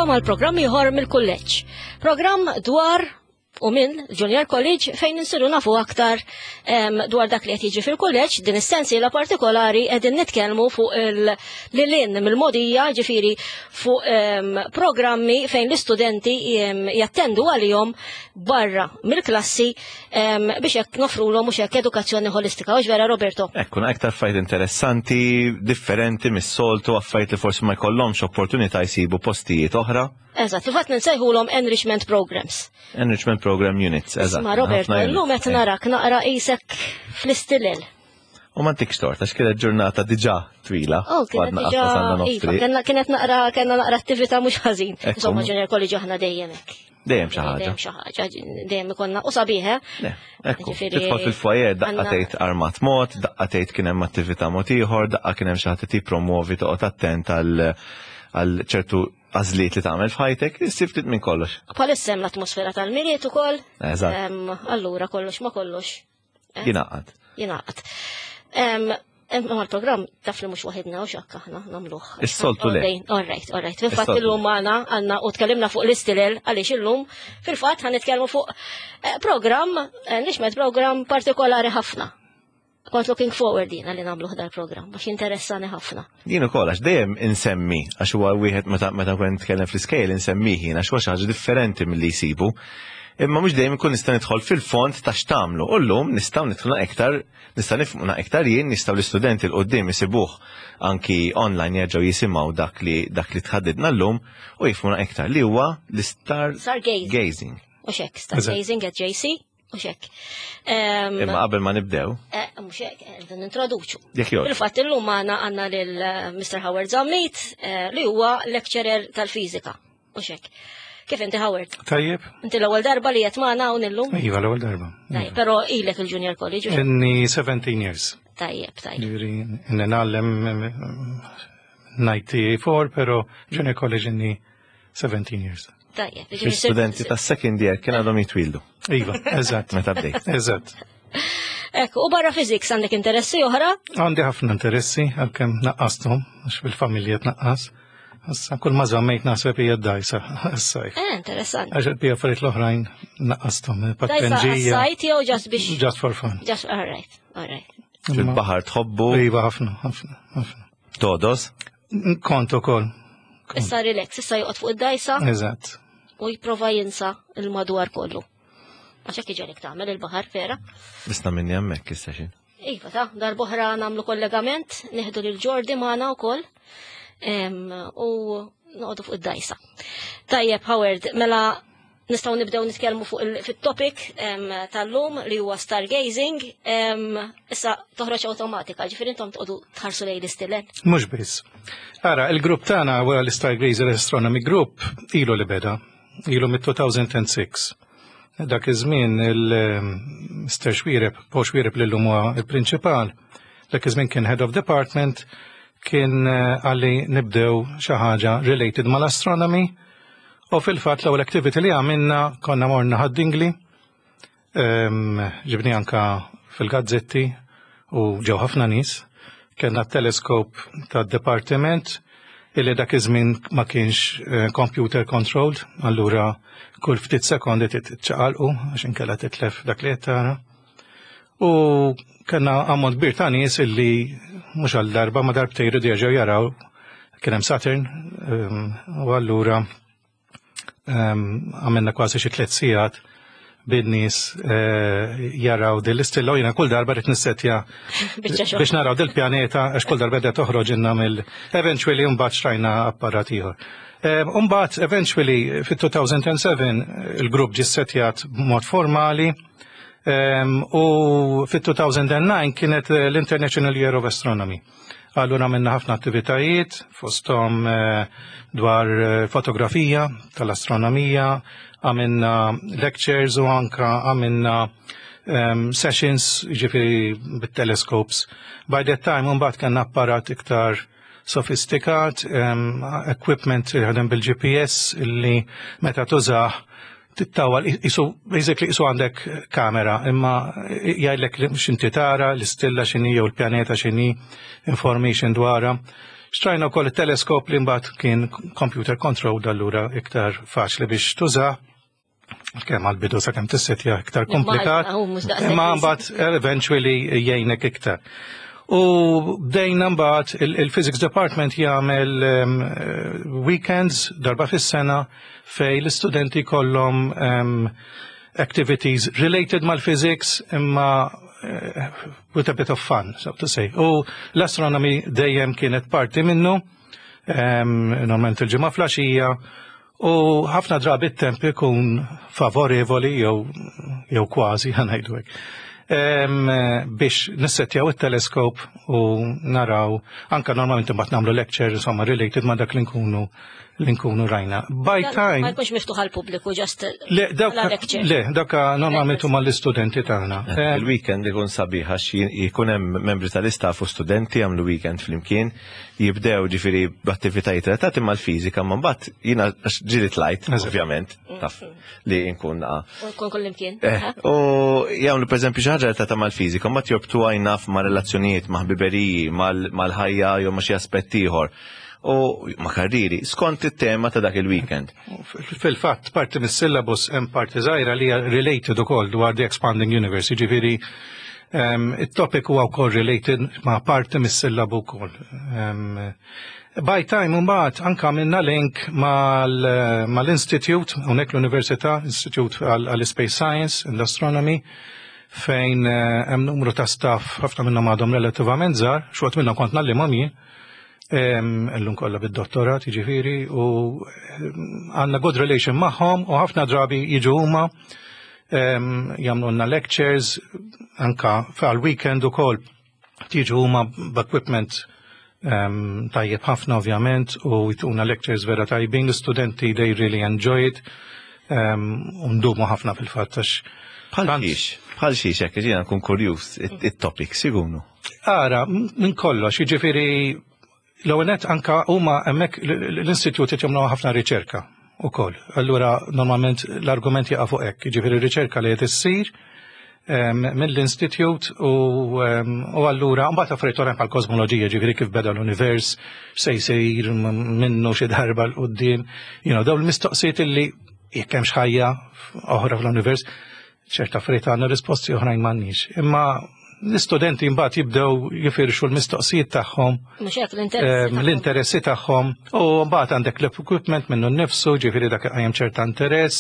Nilqgħukom għal programm ieħor mill-kulleġġ. Programm dwar u minn Junior College fejn insiru nafu aktar dwar dak li qed jiġi fil-kulleġġ din is-sensiela partikolari qegħdin nitkellmu fuq il-lilin mill-modija ġifieri fuq programmi fejn l-istudenti jattendu għalihom barra mill-klassi biex hekk nofrulhom mhux hekk edukazzjoni ħolistika. Hux vera Roberto? Ekku, aktar affarijiet interessanti, differenti mis-soltu, affarijiet li forsi ma jkollhomx opportunità jsibu postijiet oħra. Eżatt, fil-fatt nsejħulhom enrichment programs. Enrichment program units, eżatt. Ma Roberto, llum qed narak naqra qisek fl-istilel. U ma ntikx tort, għax kienet ġurnata diġà twila. Oh, kienet diġà, iva, kienet naqra, kena naqra attività mhux ħażin. Insomma, Junior College aħna dejjem hekk. Dejjem xi ħaġa. Dejjem xi ħaġa, dejjem ikonna u sabiħ, eh? Ekku, tidħol fil-foyer, daqqa tgħid armat mod, daqqa tgħid kien hemm attività mod ieħor, daqqa kien hemm xi ħadd tippromuovi toqgħod attent għal ċertu għażliet li tagħmel f'ħajtek, issib ftit minn kollox. Bħalissa hemm l-atmosfera tal-Milied ukoll. Eżatt. Allura kollox ma kollox. Eh? Jingħaqad. Jingħaqad. Imma l-programm taf li mhux waħidna u xakk aħna nagħmluh. Is-soltu le. All right, all right. Fil-fatt illum magħna għandna u tkellimna fuq l-istilel għaliex illum fil-fatt ħan nitkellmu fuq eh, programm, eh, nixmed programm partikolari ħafna. Kont looking forward jiena li nagħmluh dal-programm għax interessani ħafna. Jien ukoll għax dejjem insemmi għax huwa wieħed meta meta nkun nitkellem fl-iskejl insemmih jien għax huwa xi ħaġa differenti milli jsibu. Imma mhux dejjem ikun nista' nidħol fil-fond ta' x'tagħmlu. U llum nistgħu nidħlu iktar, nista' nifhmu iktar jien, nistgħu l-istudenti l qudiem isibuh anki online jerġgħu jisimgħu dak li dak li tħaddidna llum u jifhmuna iktar li huwa l-star gazing. U xek, star gazing at JC. Mhux hekk. Imma qabel ma nibdew. Eh, mhux hekk, eh, nintroduċu. Jekk jogħġbok. Fil-fatt illum magħna għandna lil eh, Mr. Howard Zammit li huwa lecturer tal-fiżika. Mhux hekk. Kif inti Howard? Tajjeb. Inti l-ewwel darba li qed magħna hawn illum? Iva, l-ewwel darba. Tajjeb, però ilek il-Junior College. Inni 17 years. Tajjeb, tajjeb. Ġifieri, inni ngħallem 94, però Junior College inni 17 years. Tajjeb. Studenti ta' second year kien għadhom jitwildu. Iva, eżatt. Meta bdejt. Eżatt. Ekku, u barra fiziks għandek interessi oħra? Għandi ħafna interessi, għalkemm naqqasthom, għax fil-familja tnaqqas. Issa kull ma żammejt naħseb hija d-dajsa għas-sajf. Eh, interessanti. Għax il-bija affarijiet l-oħrajn naqqasthom. Dajsa għas-sajt jew just biex. Just for fun. Just, all right, all right. Fil-baħar tħobbu. Iva, ħafna, ħafna, ħafna. Todos? Kont ukoll. Issa relax, issa joqgħod fuq id-dajsa. Eżatt. U jipprova jinsa il-madwar kollu. Għax hekk iġelek tagħmel il-baħar vera. Bisna minni hemmhekk issa xi. Iva ta' darbohra nagħmlu kollegament, neħdu lil Ġordi magħna wkoll u noqogħdu fuq id-dajsa. Tajjeb, Howard, mela Nistgħu nibdew nitkellmu fuq fit-topic tal-lum li huwa stargazing. Issa toħroġ awtomatika, ġifieri intom tqogħdu tħarsu lejn l-istilel. Mhux biss. Ara, il-grupp tagħna wara l-Stargazer Astronomy Group ilu li beda, ilu mit-2006. Dak iż-żmien il-Mr. Xwireb, Paul Xwireb li llum huwa il-prinċipal, dak iż-żmien kien head of department, kien eh, għalli nibdew xi ħaġa related mal-astronomy U fil-fatt l-ewwel activity li għamilna konna morna ħad-dingli, ehm, ġibni anka fil-gazzetti u ġew ħafna nies. Kellna teleskop tad-dipartiment illi dak iż-żmien ma kienx eh, computer controlled, allura kull ftit sekondi titċaqalqu għax inkella titlef dak li qed tara. U kellna ammont kbir ta' nies illi mhux għal darba ma darbtejn jridu jerġgħu jaraw kien hemm Saturn ehm, u allura ehm, għamilna kważi xi tliet sigħat bin-nies eh, jaraw din l-istilla u jiena kull darba rrid nissetja biex naraw dil-pjaneta għax kull darba qed toħroġ inna mill eventually mbagħad xtrajna apparat ieħor. Ehm, mbagħad eventually fit-2007 il-grupp ġie ssetjat b'mod formali U fit-2009 kienet eh, l-International Year of Astronomy. Allura minna ħafna attivitajiet fosthom eh, dwar eh, fotografija tal-astronomija, għamilna lectures u anka għamilna um, sessions ġifiri bit-telescopes. By that time, mbagħad kellna apparat iktar sofistikat, um, equipment li ħadem bil-GPS illi meta tużah tittawal isu basically isu għandek kamera imma jgħidlek x'inti tara, l-istilla x'inhi jew l-pjaneta x'inhi, information dwarha. Xtrajna wkoll it-teleskop li mbagħad kien computer controlled, allura iktar faċli biex tuża. Kemm għal-bidu sakemm tissetja iktar komplikat. Imma mbagħad eventually jgħinek iktar. U bdejna mbagħad il-Physics Department jagħmel weekends darba fis-sena fej l-istudenti kollhom activities related mal-physics imma with a bit of fun, so to say. U l-astronomy dejjem kienet parti minnu, normalment il-ġimgħa filgħaxija, u ħafna drabi t-temp ikun favorevoli jew kważi, ħa ngħidu hekk, biex nissetjaw it-teleskop u naraw, anka normalment imbagħad nagħmlu lecture, insomma, related ma' dak li nkunu rajna. By time. Ma jkunx miftuħ għal pubbliku, just Le, dawk, le, dawk normalment huma l-istudenti tagħna. Il-weekend ikun sabiħ għax jkun hemm membri tal-istaff u studenti jagħmlu weekend flimkien, jibdew ġifieri b'attivitajiet relatati mal-fiżika, ma mbagħad jiena għax ġieli tlajt, ovvjament, taf li nkun Kun kullimkien. U jagħmlu pereżempju xi ħaġa relatata mal-fiżika, mbagħad jorbtu għajnaf ma' relazzjonijiet, ma' ħbiberiji, mal-ħajja jew ma' xi aspett ieħor u ma' karriri, skont it-tema ta' dak il-weekend. Fil-fatt, parti mis-syllabus hemm parti żgħira li hija related ukoll dwar the expanding universe, jiġifieri it-topic huwa wkoll related ma' parti mis-syllabu wkoll. By time mbagħad anka minna link mal-Institute, hawnhekk l-Università, Institute għall-Space Science and Astronomy, fejn hemm numru ta' staff, ħafna minnhom għadhom relattivament żgħar, xi wħud minnhom kont ngħallimhom jien, illum kollha bid-dottorat, jiġifieri, u għandna good relation magħhom u ħafna drabi jiġu huma jagħmlulna lectures anka għal weekend ukoll, tiġu huma b'equipment tajjeb ħafna ovvjament u jtuna lectures vera tajbin. L-istudenti, they really enjoy it u ndumu ħafna fil-fatt għax Bħal xiex, bħal xiex, hekk ġiena nkun kurjuż, it-topics ikunu. Ara, minn kollox, jiġifieri l-ewwel anka huma hemmhekk l-istitut qed jagħmlu ħafna riċerka ukoll. Allura normalment l-argument jaqa' fuq hekk, jiġifieri riċerka li qed issir mill-institute u allura mbagħad affarijiet oħrajn bħal kosmoloġija, ġifieri kif beda l-univers, se jsir minnu xi darba 'l quddiem, dawn il-mistoqsijiet illi jekk hemm ħajja oħra fl-univers, ċerta affarijiet għandna risposti, oħrajn m'għandniex. Imma l-istudenti mbagħad jibdew jifirxu l-mistoqsijiet tagħhom, Mhux hekk, l-interessi tagħhom. L-interessi tagħhom u mbagħad għandek l-equipment minnu nnifsu, ġifieri dak qajjem ċerta interess.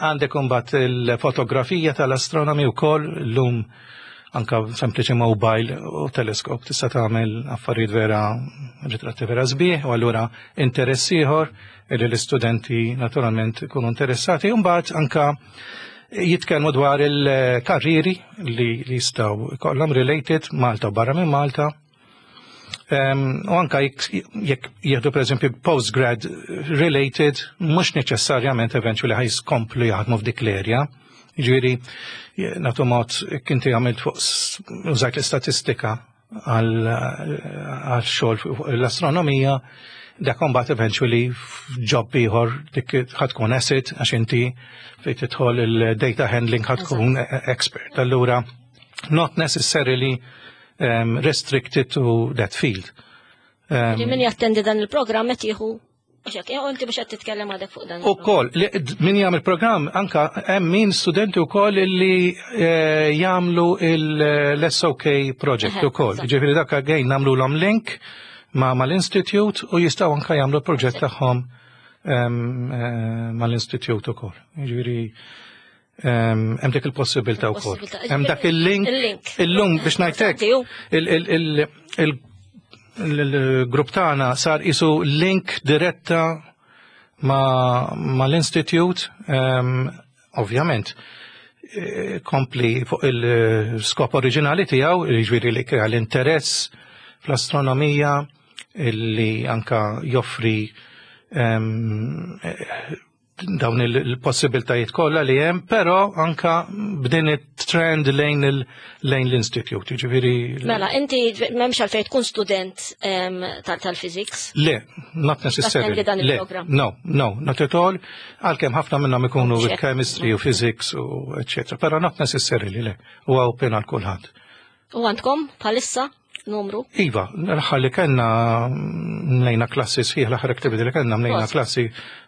Għandek imbagħad il-fotografija tal-astronomi wkoll, llum anka sempliċi mobile u teleskop tista' tagħmel affarijiet vera, ritratti vera sbieħ, u allura interess ieħor li l-istudenti naturalment ikunu interessati. U mbagħad anka jitkellmu dwar il-karriri li jistgħu kollhom related Malta u barra minn Malta. U anka jekk jieħdu per eżempju postgrad related, mhux neċessarjament eventually ħa jkomplu jaħdmu f'dik l-area. Ġifieri, nagħtu mod, kinti għamilt fuq użajt l-istatistika għal xogħol fuq l-astronomija, dak mbagħad eventually f'job ieħor dik ħa tkun asset għax inti fejn tidħol il-data handling ħa tkun expert. Allura not necessarily restricted to that field. Li min jattendi dan il-programm qed jieħu. Mhux hekk, jew inti mhux qed titkellem għadek fuq dan. U koll, min jagħmel programm, anka hemm min studenti wkoll li jagħmlu l-SOK project ukoll. Ġifieri dak again nagħmlu link ma mal-institute u jistgħu anka jagħmlu proġett tagħhom mal-institute ukoll. Ġifieri hemm dik il-possibilità wkoll. Il-possibilità. Hemm dak il-link. Il-link. Illum biex ngħidlek Tiju. il-grupp tagħna sar isu link diretta ma l-institute, ovvjament, kompli fuq il-skop oriġinali tiegħu, jiġifieri li krea l-interess fl-astronomija, illi anka joffri dawn il-possibiltajiet kollha li hemm, però anka b'din it-trend lejn l-institute, jiġifieri Mela, inti m'hemmx għalfejn tkun student tal-physics. Le, not necessarily. Tattendi dan Le, il-programm. No, not at all. Għalkemm ħafna minnhom ikunu with chemistry u physics u eccetera, però not necessarily, le. Huwa open għal kulħadd. U għandkom bħalissa? Numru? Iva, l-aħħar li kellna mlejna klassi sħiħ, l-aħħar activity li kellna mlejna klassi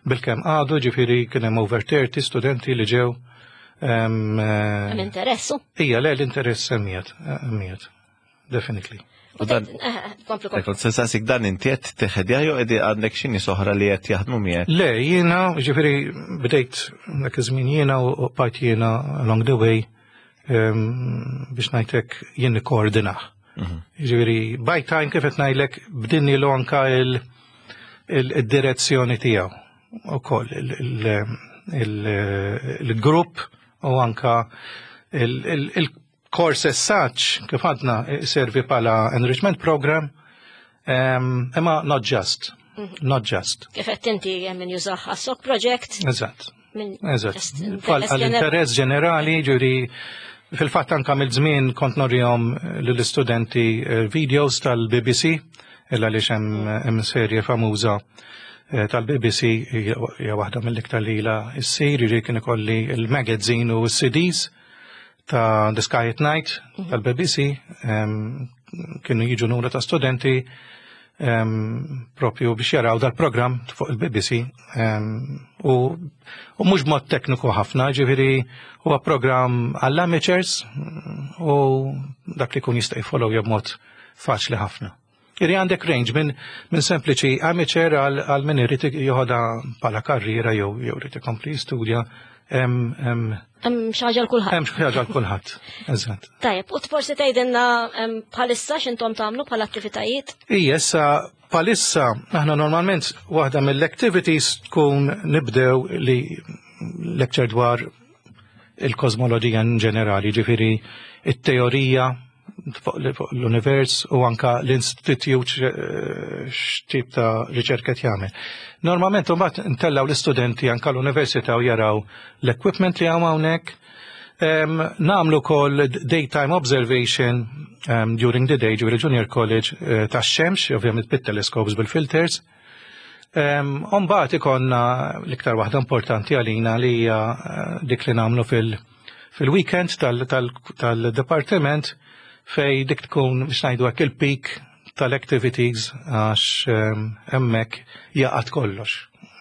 bilkemm għadu, ġifieri kien hemm over 30 studenti li ġew. Hemm interessu? Ija, le, l-interess hemmiet, hemmiet, definitely. U dan, Kompli, kompli. Ekon, sensasik dan inti qed teħed jew qed għandek xi nies oħra li qed jaħdmu miegħek. Le, jiena, ġifieri bdejt dak iż-żmien jiena u bqajt jiena along the way biex ngħidlek jien nikkoordinah. Ġifieri by time kif qed ngħidlek bdinni l anka il-direzzjoni tiegħu ukoll il-grupp u anka il-course as such kif għadna servi bħala enrichment program, imma not just, not just. Kif qed inti hemm min jużah għas-sok project. Eżatt. Min Eżatt. just interess Għall-interess ġenerali, ġuri, fil-fatt anka mill-żmien kont norihom lill-istudenti videos tal-BBC, illa li hemm serje famuża tal-BBC, hija waħda mill-iktar li ilha ssir, ġuri kien ikolli il-magazine u s-CDs ta' The Sky at Night tal-BBC, kienu jiġu numru ta' studenti propju biex jaraw dal-program fuq il-BBC, u mhux mod tekniku ħafna, ġifieri huwa program għall-amateurs u dak li kun jista' jfollow b'mod faċli ħafna. Iri għandek range minn sempliċi amateur għal min irid joħodha bħala karriera jew irid ikompli jistudja. Hemm xi ħaġa għal kulħadd. Hemm xi ħaġa għal kulħadd, eżatt. Tajjeb, u forsi tgħidilna bħalissa x'intom tagħmlu bħala attivitajiet? Ija, issa bħalissa aħna normalment waħda mill-activities tkun nibdew li lecture dwar il-kosmoloġija in ġenerali, ġifieri it-teorija fuq l-univers u anka l-institute x'tip ta' riċerka qed jagħmel. Normalment imbagħad ntellgħu l-istudenti anka l-università u jaraw l-equipment li hawn hawnhekk. Nagħmlu wkoll daytime observation during the day, ġifieri junior college tax-xemx, ovvjament bit-telescopes, bil-filters. Mbagħad ikollna l-iktar waħda importanti għalina li hija dik li nagħmlu fil-weekend tal-departiment, fej dik tkun biex ngħidu hekk il-peak tal-activities, għax hemmhekk jaqgħad kollox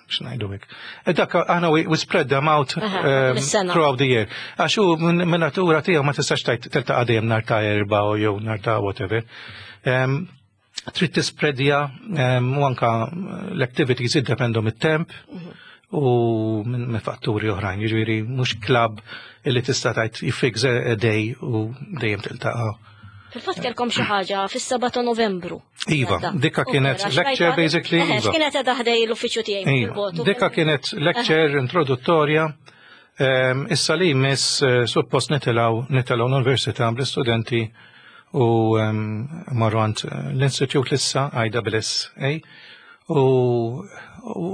biex ngħidu hekk. E dak aħna we spread them out mis-sena. Throughout the year. Għax hu minn natura tiegħu ma tistax tgħid tiltaqa' dejjem nhar ta' Erbgħa u jew nhar ta' whatever. Trid tispreadja u anka l-activities jiddependu mit-temp u minn fatturi oħrajn, jiġifieri mhux club illi tista' tgħid you fix a day u dejjem tiltaqa'. Fil-fatt kellkom xi ħaġa fis-7 ta' Novembru. Iva, Għadda. dikka U kienet vera, lecture xrajta- basically, iva. Kienet qiegħda ħdej l-uffiċċju tiegħi Iva, fil-botu. dikka kienet lecture introduttorja. Issa li jmiss suppost nitilgħu l-università bl-istudenti u marru għand l-Institute lissa ISSA u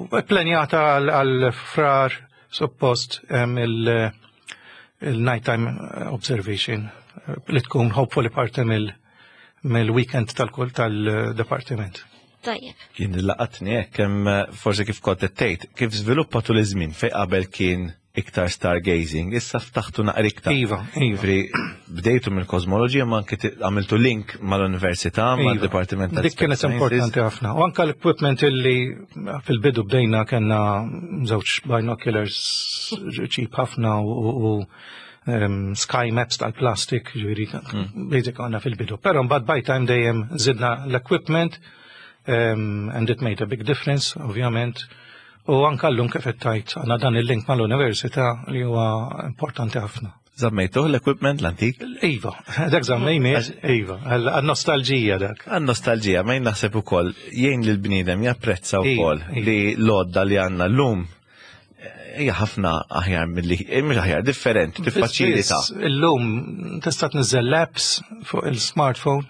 ppjanata għal Frar suppost il-nighttime observation li tkun hopefully parti mill-weekend tal-kull tal-departiment. Tajjeb. Kien laqatni hekk hemm forsi kif kont qed tgħid, kif żviluppa tul iż-żmien fejn qabel kien iktar stargazing, issa ftaħtu naqra iktar. Iva. Ġifieri, bdejtu mill-kosmoloġija ma anke għamiltu link mal-università, mal-Dipartiment tal Dik kienet Space Sciences. importanti ħafna. U anka l-equipment illi fil-bidu bdejna kellna żewġ binoculars cheap ħafna u sky maps tal-plastik, ġifieri, basic għandna fil-bidu. Però mbagħad by time dejjem zidna l-equipment and it made a big difference, ovvjament. U anka llum kif qed tgħid għandna dan il-link mal-università li huwa importanti ħafna. Żammejtuh l-equipment l-antik? Iva, dak żammejni, iva, għal-nostalġija dak. Għan-nostalġija, ma jien naħseb ukoll jgħin li l-bniedem japprezza wkoll li l-għodda li għandna llum hija ħafna aħjar milli, mhux aħjar, differenti, tiffaċilita. Biss, Illum tista' tniżżel apps fuq il-smartphone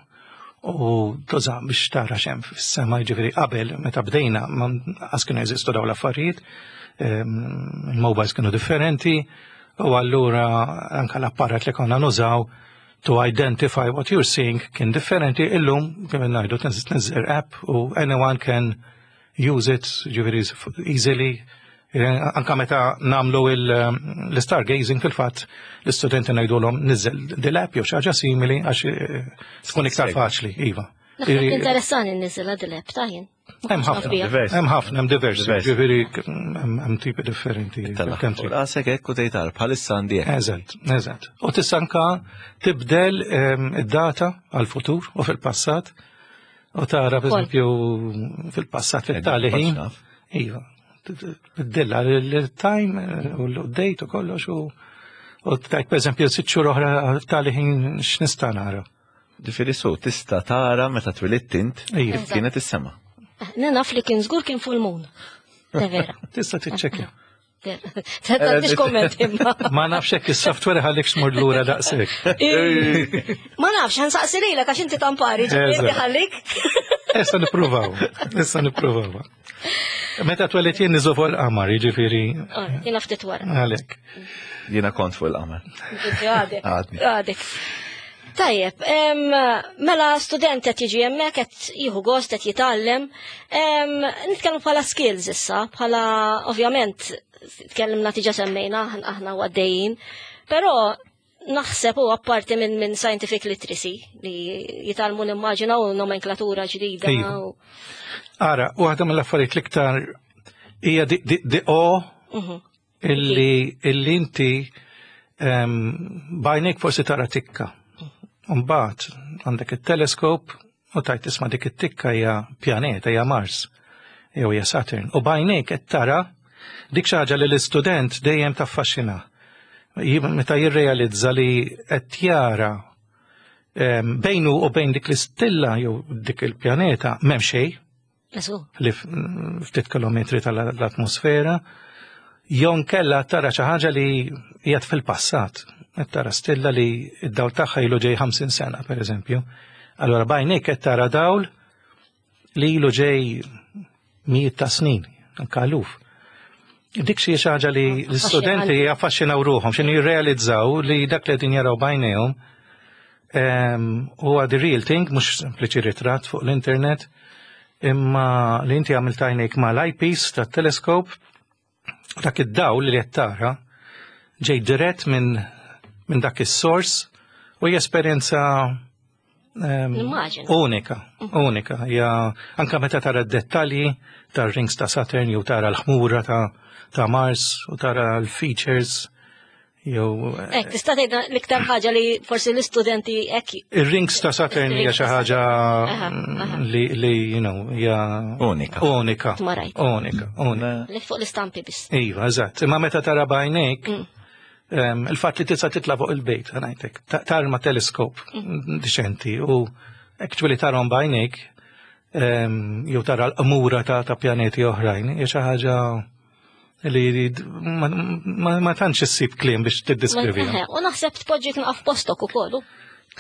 u tuża biex tara x'hemm fis-sema, jiġifieri qabel meta bdejna ma qas kienu jeżistu dawn l-affarijiet, il-mobiles kienu differenti u allura anka l-apparat li konna nużaw to identify what you're seeing kien differenti. Illum kif ngħidu tniżżel app u anyone can use it, ġifieri easily. Anka meta namlu l-stargazing fil-fatt, l-istudenti ngħidulhom niżel dil-app jew xi ħaġa simili għax tkun iktar faċli, iva. Naħseb interessani nniżilha dil-app ta' jien. Hemm ħafna, hemm ħafna, hemm diversi, ġifieri hemm tipi differenti. Għasek hekk u tgħid bħalissa għandi hekk. Eżatt, eżatt. U tista' anka tibdel id-data għall-futur u fil-passat u tara pereżempju fil-passat fit-tali ħin. Iva, tbiddilha l-time u l-date u kollox u tajt pereżempju sitt xhur oħra tali ħin x'nista' nara. Ġifieri su tista' tara meta twilidt int kif kienet is-sema. Naf li kien żgur kien full moon. Vera. Tista' tiċċekkja. Tantix komment imma. Ma nafx hekk is-software ħallik xmur lura daqshekk. Ma nafx, ħansaqsi lilek għax inti tampari, ġifieri ħallik. Issa nippruvaw, issa nippruvaw. Meta twellidt jien niżu fuq il-qamar, jiġifieri. Jiena ftit wara. Għalhekk. Jiena kont fuq il-qamar. Għadek. Għadek. Tajjeb, mela student qed jiġi hemmhekk qed jieħu gost qed jitgħallem. Nitkellmu bħala skills issa, bħala ovvjament tkellimna tiġa semmejna aħna għaddejjin, però naħseb u apparti minn min scientific literacy li jitgħallmu nimmaġina u nomenklatura ġdida. Iva. Ara, waħda mill-affarijiet l-iktar hija di o illi illi inti bajnek forsi tara tikka. Mbagħad għandek it-teleskop u tajt tisma' dik it-tikka hija pjaneta hija Mars jew hija Saturn. U bajnek qed tara dik xi ħaġa li l-istudent dejjem taffaxxina. Meta jirrealizza li qed jara bejnu u bejn dik l-istilla jew dik il-pjaneta m'hemm xejn. Li ftit kilometri tal-atmosfera, jew nkella tara xi ħaġa li qiegħed fil-passat. Qed tara stilla li d-dawl tagħha ilu ġej 50 sena, pereżempju. Allura bajnik qed tara dawl li ilu ġej mijiet ta' snin, anke eluf. Dik xi ħaġa li l-istudenti jaffaxxinaw ruħhom, x'inhu jirrealizzaw li dak li qegħdin jaraw bajnejhom huwa the real thing, mhux sempliċi ritratt fuq l-internet, imma li inti għamilt għajnejk ma l-eyepiece tat-teleskop, dak id-dawl li qed tara ġej dirett minn min dak is-sors u hija esperjenza unika, unika. Hija anka meta tara d-dettalji tar-rings ta' Saturn jew tara l-ħmura ta', ta Mars u tara l-features jew Ek, tista' tgħidna l-iktar ħaġa li forsi l-istudenti hekk Ir-rings ta' Saturn hija xi ħaġa li li you know hija Unika. Unika. Tmarajt. Unika, unika. Li fuq l-istampi biss. Iva, eżatt. Imma meta tara b'għajnejk, il-fatt li tista' titla' fuq il-bejt, ngħidlek, tarma teleskop diċenti u actually tarhom b'għajnejk jew tara l-qmura ta' ta' pjaneti oħrajn, hija xi ħaġa li ma, ma, ma tantx issib kliem biex tiddiskriviha. U naħseb tpoġġik naqaf postok ukoll.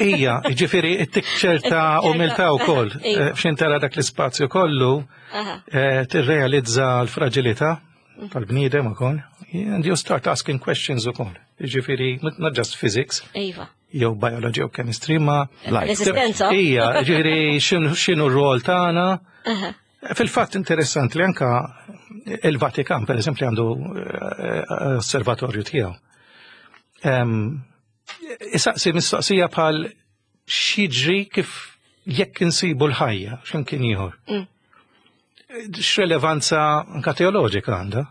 Ija, ġifieri, ittik ċerta umiltà wkoll. F'xin tara dak l-ispazju kollu, tirrealizza l-fragilità tal-bniedem ukoll. And you start asking questions ukoll. Ġifieri, not just physics. Iva. Jew biology jew chemistry, ma L-esistenza. Ija, ġifieri, x'inhu r-rol tagħna. Fil-fatt interessanti li anka il-Vatikan, per eżempju, għandu osservatorju tiegħu. Isaqsi mistoqsija bħal x'jiġri kif jekk insibu l-ħajja x'imkien ieħor. X'relevanza anka teoloġika għandha?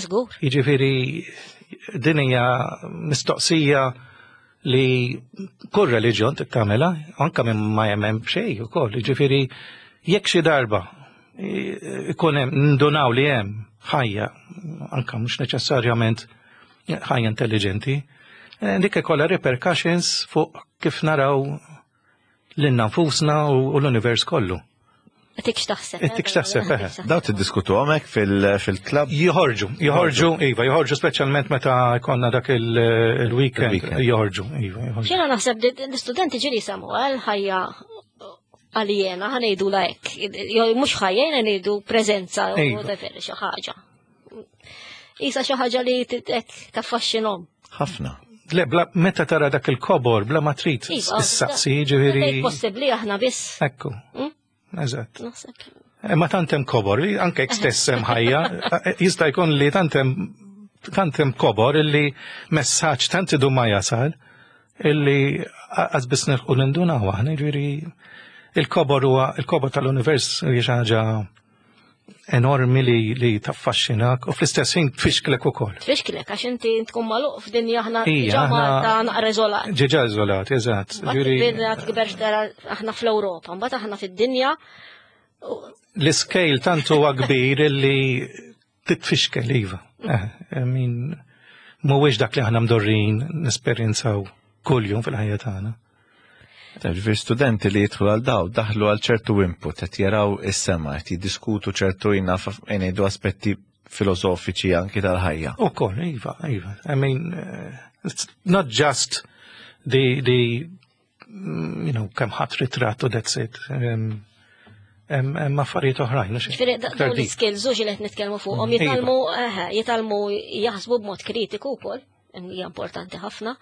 Żgur. Jiġifieri din hija mistoqsija li kull reliġjon tagħmilha, anka minn ma jemmen b'xejn ukoll. Jiġifieri jekk xi darba ikun hemm ndunaw li hemm ħajja, anka mhux neċessarjament ħajja intelligenti, dik ikollha repercussions fuq kif naraw lilna nfusna u l-univers kollu. Tik x'taħseb. Tik x'taħseb, eħe. Daw tiddiskutu hemmhekk fil-klabb? Joħorġu, joħorġu, iva, joħorġu speċjalment meta jkollna dak il-weekend, joħorġu, iva, joħorġu. Jiena naħseb l-istudenti ġieli semmu għal ħajja aljena, ħa ngħidu la hekk. Jew mhux ħajja, jiena ngħidu preżenza jew whatever, xi ħaġa. Isa xi ħaġa li hekk taffaxxinhom. Ħafna. Le, bla, meta tara dak il-kobor, bla ma trid Iva, issaqsi, ġifieri. Possibbli aħna biss. Ekku. Eżatt. Naħseb. Ma tant hemm kobor, li anke jekk stess hemm ħajja, jista' jkun li tant hemm tant hemm kobor illi messaġġ tant idum ma jasal illi qas biss nilħqu nindunaw aħna, jiġifieri il-kobor huwa il-kobor tal-univers hija xi ħaġa enormi li taffaxxinak u fl-istess ħin tfixklek ukoll. Tfixklek għax inti tkun magħluq f'dinja aħna diġà Malta naqra iżolat. Ġiġa iżolat, eżatt. Ġifieri tikber xdara aħna fl-Ewropa, mbagħad aħna fid-dinja. L-iskejl tant huwa kbir illi titfixkel iva. Eh, min mhuwiex dak li aħna mdorrin nesperjenzaw kuljum fil-ħajja tagħna. Ġifieri studenti li jidħlu għal daw daħlu għal ċertu input, qed jaraw is-sema, qed jiddiskutu ċertu jina ngħidu aspetti filosofiċi anki tal-ħajja. Ukoll, iva, iva. I mean, it's not just the kemm ħadd ritratt u that's it. Hemm affarijiet oħrajn. Ġifieri dawn l-skills li qed nitkellmu fuqhom jitgħallmu jitgħallmu jaħsbu b'mod kritiku wkoll, hija importanti ħafna.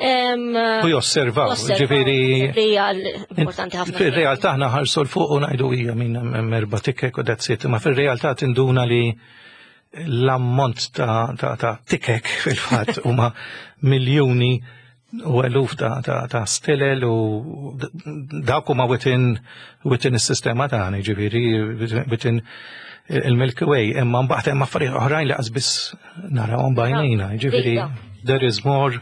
U josservaw, ġifieri. Hija importanti ħafna. Fir-realtà aħna ħarsu 'l fuq u ngħidu hija minn hemm erba' tikek u that's it, ma fir-realtà tinduna li l-ammont ta' tikek fil-fatt huma miljuni u eluf ta' stilel u dawk huma within is-sistema tagħna, ġifieri within il-Milky Way, imma mbagħad hemm affarijiet oħrajn li qas biss narawhom b'għajnejna, ġifieri there is more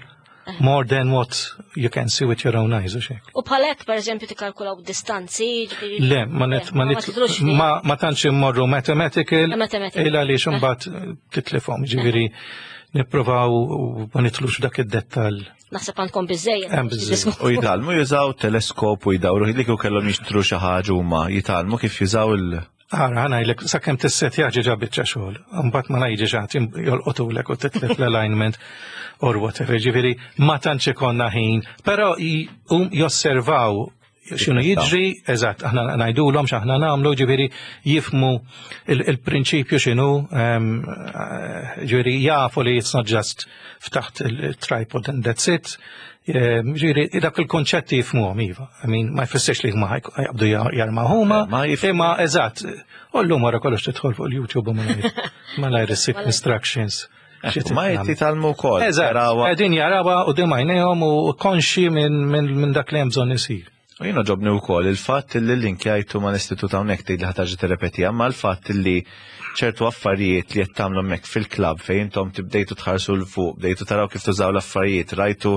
than what you can see with your own eyes, u xek. U bħalek, per eżempju, tikkalkulaw distanzi? Le, ma net, ma net, ma tantx immorru mathematical, illa li imbagħad titlifhom, ġifieri nippruvaw ma nitlux dak id-dettal. Naħseb għandkom biżejjed. U jitgħallmu jużaw teleskop u jdawru li kieku kellhom jixtru xi ħaġa huma jitgħallmu kif jużaw il- Ara, ħa ngħidlek, sakemm tissetja ġiġa biċċa xogħol. Mbagħad ma ngħidx ħadd jolqotulek u titlef l-alignment or whatever. Ġifieri ma tantx ikollna ħin, però josservaw x'inhu jiġri, eżatt, aħna ngħidulhom x'aħna nagħmlu, ġifieri jifhmu il-prinċipju x'inhu, ġifieri jafu li it's not just ftaħt il-tripod and that's it. Ġifieri, dak il-konċetti jifhmuhom, iva. I mean, ma jfissirx li huma jaqbdu jarmaw huma, imma eżatt, u llum wara kollox tidħol fuq il-YouTube u malajr issib instructions. Ma jitgħallmu wkoll. Eżatt, qegħdin jarawha u għajnejhom u konxi minn dak li hemm bżonn isir. U jiena għoġobni wkoll il-fatt li l-linkjajtu ma l-istitut hawnhekk tgħid li ħa terġa' tirrepeti, ma l-fatt li ċertu affarijiet li qed tagħmlu hemmhekk fil-klabb fejn intom tibdejtu tħarsu 'l fuq, bdejtu taraw kif tużaw l-affarijiet, rajtu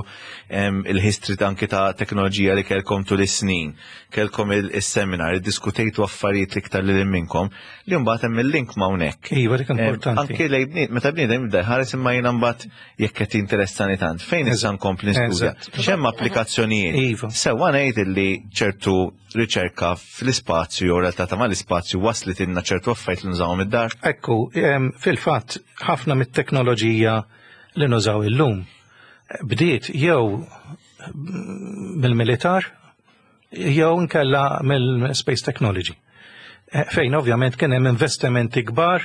il-history anki ta' teknoloġija li kellkom tul is-snin, kellkom il-seminar, iddiskutejtu affarijiet li iktar li minnkom, li mbagħad hemm il-link ma' hawnhekk. Iva, dik importanti. Anki lej meta bniedem jibda jħares imma jiena mbagħad jekk qed interessani tant, fejn issa nkompli nistudja? X'hemm applikazzjonijiet? Sewwa ngħid li ċertu riċerka fl-ispazju jew realtà ta' mal-ispazju waslet ilna ċertu affarijiet li nużawhom id-dar? Ekku, fil-fatt ħafna mit-teknoloġija li nużaw illum bdiet jew mill-militar jew nkella mill-space technology. Fejn ovvjament kien hemm investimenti kbar.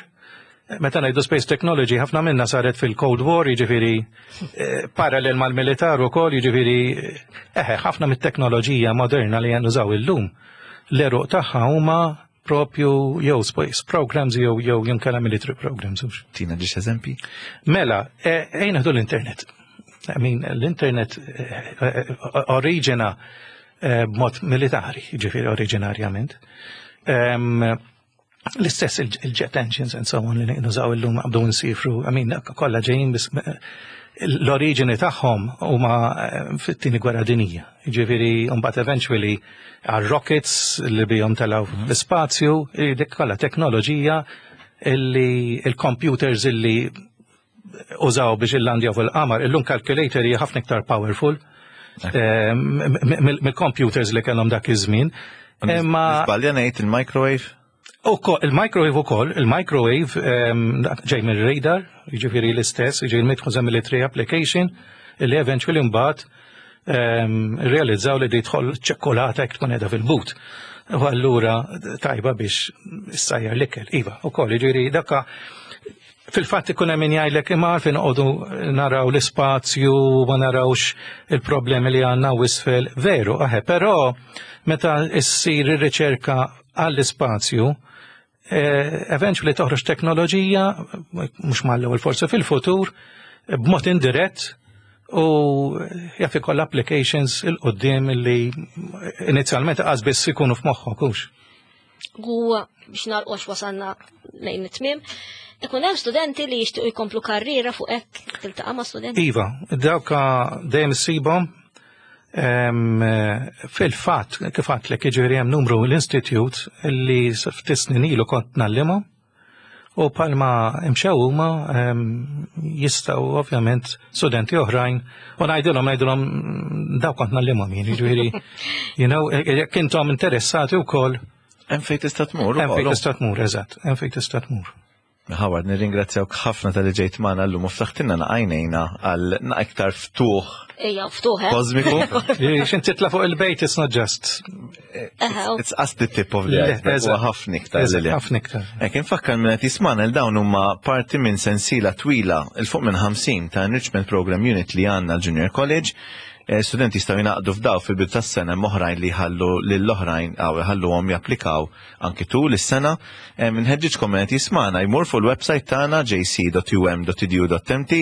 Meta ngħidu space technology, ħafna minna saret fil-Cold War, jiġifieri parallel mal-militar ukoll, jiġifieri eħe ħafna mit-teknoloġija moderna li nużaw illum. L-għeruq tagħha huma propju jew space programs jew jinkella military programs. Tina ġiex eżempi? Mela, ejja nieħdu l-internet. I mean, l-internet oriġina b'mod militari, ġifieri oriġinarjament. L-istess il-jet engines and so on li nużaw illum qabdu nsifru, I mean, kollha ġejjin bis l-oriġini tagħhom huma fit-tieni gwerra dinija. Ġifieri mbagħad eventually għal rockets li bihom telgħu l-ispazju, dik kollha teknoloġija illi il-computers illi użaw biex illandjaw fil-qamar, illum calculator hija ħafna iktar powerful mill-computers li kellhom dak iż-żmien. Imma Żbalja ngħid il-microwave? Il-microwave ukoll, il-microwave ġej mill-radar, jiġifieri l-istess, jiġifieri mitħu military application, illi eventually mbagħad realizzaw li tidħol ċekkolata jekk tkun qiegħda fil-but. U allura tajba biex issajjar l-ikel. Iva, ukoll, jiġifieri dakka fil-fatt ikun hemm min jgħidlek imma għalfejn noqogħdu naraw l-ispazju ma narawx il-problemi li għandna isfel. Veru, aħe, però meta issir ir-riċerka għall-ispazju. Eventually toħroġ teknoloġija, mhux mal-ewwel forsi fil-futur, b'mod indirett u jaf ikoll applications il-qoddim li inizjalment qas biss ikunu f'moħħok hux. U biex nagħlqu wasalna lejn it-tmiem, ikun hemm studenti li jixtiequ jkomplu karriera fuq hekk tiltaqa' ma' studenti. Iva, dawk dejjem issibhom fil-fatt kif għedtlek, jiġifieri hemm numru l-institute li ftit snin ilu kont ngħallimhom u palma imxew huma jistgħu ovvjament studenti oħrajn u ngħidilhom daw kont ngħallimhom jien, jiġifieri jekk intom interessati wkoll. Hemm fejn tista' tmur. Hemm fejn tista' tmur, eżatt, hemm fejn tista' tmur. Howard, nirringrazzjawk ħafna talli ġejt magħna llum u ftaħtilna għajnejna għal iktar ftuħ. Ejja, ftuħ, eh? Kosmiku. Xin titla fuq il-bejt, it's not just. It's just the tip of the iceberg. Ħafna iktar. Ħafna iktar. Ek, infakkar minn qed jismana l dawn huma parti minn sensiela twila 'l fuq minn 50 ta' Enrichment Program Unit li għandna l-Junior College. Studenti jistgħu jingħaqdu f'daw fil-bidu tas-sena, oħrajn li jħallu lill-oħrajn għaw jħalluhom japplikaw anki tul is-sena. Nħeġġiġkom qed jismana jmur fuq il-website tagħna jc.um.edu.mt,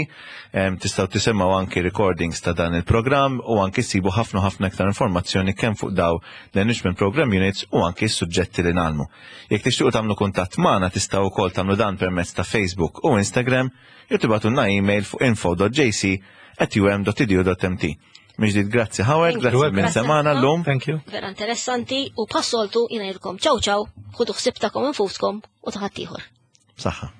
tistgħu tisimgħu anki recordings ta' dan il-programm u anki ssibu ħafna ħafna iktar informazzjoni kemm fuq daw l-Enrichment Program Units u anki s-suġġetti li ngħallmu. Jekk tixtiequ tagħmlu kuntatt magħna, tistgħu wkoll tagħmlu dan permezz ta' Facebook u Instagram jew tibagħtulna email fuq info.jc@um.edu.mt. Mill-ġdid grazzi Howard, grazzi minn semana l-lum. Thank you. Vera interessanti u bħas-soltu jien ngħidilkom ciao ciao, ħudu ħsieb tagħkom infuskom u ta' ħaddieħor. Saħħa.